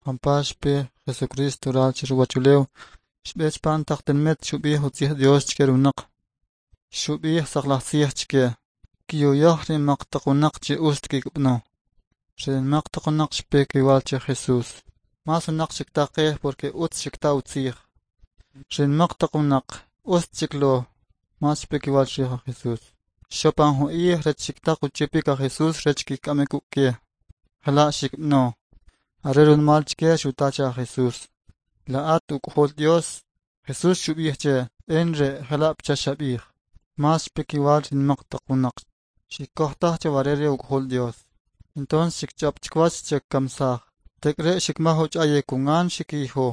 Jampa xpe Jesucristo ral chi ruwachulew, xb'e chpan taq tinmit xub'ij utzij Dios chke ri winaq. Xub'ij saqlaj tzij chke, kiyuyaj ri nmaq taq winaq che ust kikb'ano. Ri nmaq taq winaq xpe kiwal che Jesús. Mas winaq xiktaqej porque utz xikta utzij. Ri nmaq taq winaq ust xiklo, mas xpe kiwal chrij Jesús. Xopan jun ij rech xiktaq uchipik a Jesús rech kikk'amik uk' ke. Jela' xikb'ano. Are runmal chke xuta che a Jesús: La at uk'jol Dios? Jesús xub'ij che: In re' jela' pacha xab'ij. Mas xpe kiwal ri nmaq taq winaq. Xikkoj taj che ware re uk'jol Dios. Entonces xikch'ab chkwach che kkamsaj. Tek're xikmaj uch'ayik kungan xikiyijo.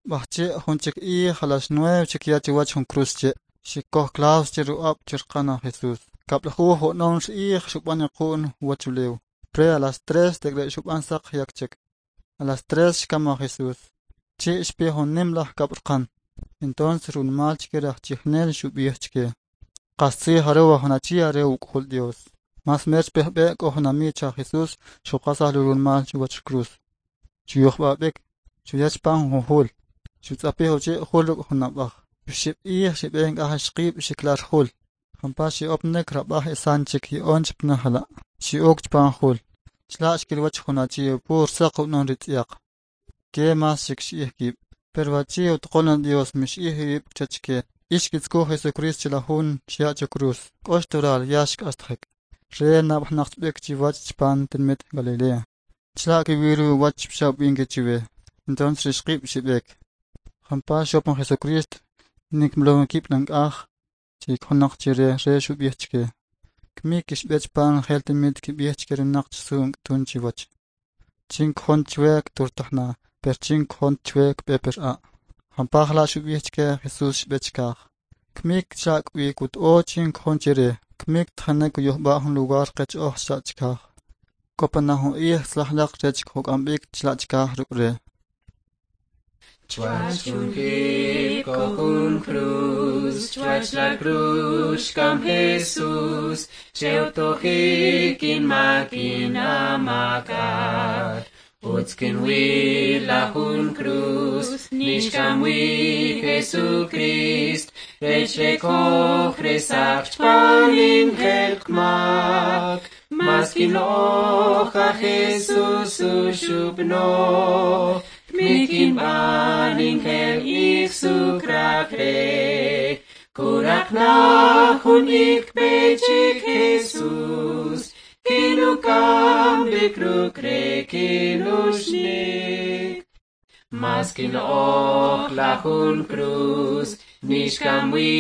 B'ajchi' jun chik ij a las 9 xikya chuwach jun cruz che'. Xikkoj clavos che ru'ab' che rqan a Jesús. Kab'lajuj o'nom ij xub'an iqu'n uwachulew. Pre a las 3 tek're xub'an saq yak chik. A las 3 xkam a Jesús. Chi' xpe jun nim laj kab'rqan. Entonces runmal chke ri ajchijnel xub'ij chke: Qastzij are wa jun achi are uk'jol Dios. Mas mer xpe jb'e' k'o jun ami cha Jesús xuqasaj lo runmal chuwach cruz. Xuyujb'a b'ik, xuya chpan jun jul. Xutz'apij uchi' jul ruk' jun ab'aj. Uxib' ij xib'e nk'aj ixqib' xiklar jul. Jampa xi'opnek rab'aj esan chik yi'on chpna jala'. Xi'ok chpan jul. Chla' xkilwach jun achi pur saq u'non ritz'yaq. Ke mas xikx'ij kib'. Pero achi utqon Dios mix'ij iwib' kcha chke. Ix kitzkuj Jesucristo chila jun xya' cho cruz. K'ox tural ya xk'astajik. Re nab'jnaq b'ik chiwach chpan tinmit Galilea. Chla' kiwil wach pxa ub'in ke chiwe. Entonces rixqib' xib'ek. Jampa xopan Jesucristo nikmlon kib' lank'aj chikjonaq chire re xub'ij chke. Kmik kixb'e chpan jel tinmit kib'ij chke rinaq chsu tun chiwach. Chin kjon chwe kturtajna, per chin kjon chwe kb'e per a'. Jampa jla' xub'ij chke Jesús xb'e chkaj. Kmik chak wi kut'o chin kjon chire. Kmik tjanek uyujb'a' jun lugar qech oj chla' chkaj. Kopana jun ij tzlajlaq rech kjok'amb'ik chla' chkaj ruk' re. Chuach jun jib ko jun cruz, chuach la cruz xkam Jesús, che utojik in makin amakat. Utz kin la jun cruz, nixkam wi Jesucrist, rech rekoj resach chpan injel kmak. Mas kin loja Jesús uxubno, Mikin ban injel ik sukrakre, Kurak na jun ik pechik Jesús, Kinukam bikrukre kinushnik. Mas kin och la jun cruz, nixkam wi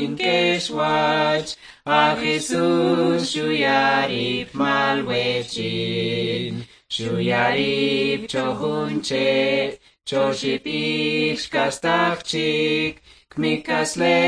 in keshwach, a Jesús shuyarip malwechin. Shuyarip chohunche, choshipik xkastachik, kmikasle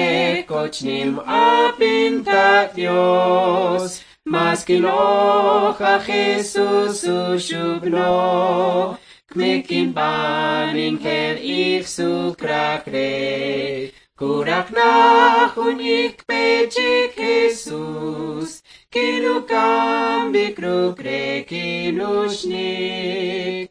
kochnim apintak Dios. Mas kiloja Jesús ushubno, kmikin ban injel ik sukrakre. Kurak na jun ik pechik Jesús, kinukam bikrukre kinushnik.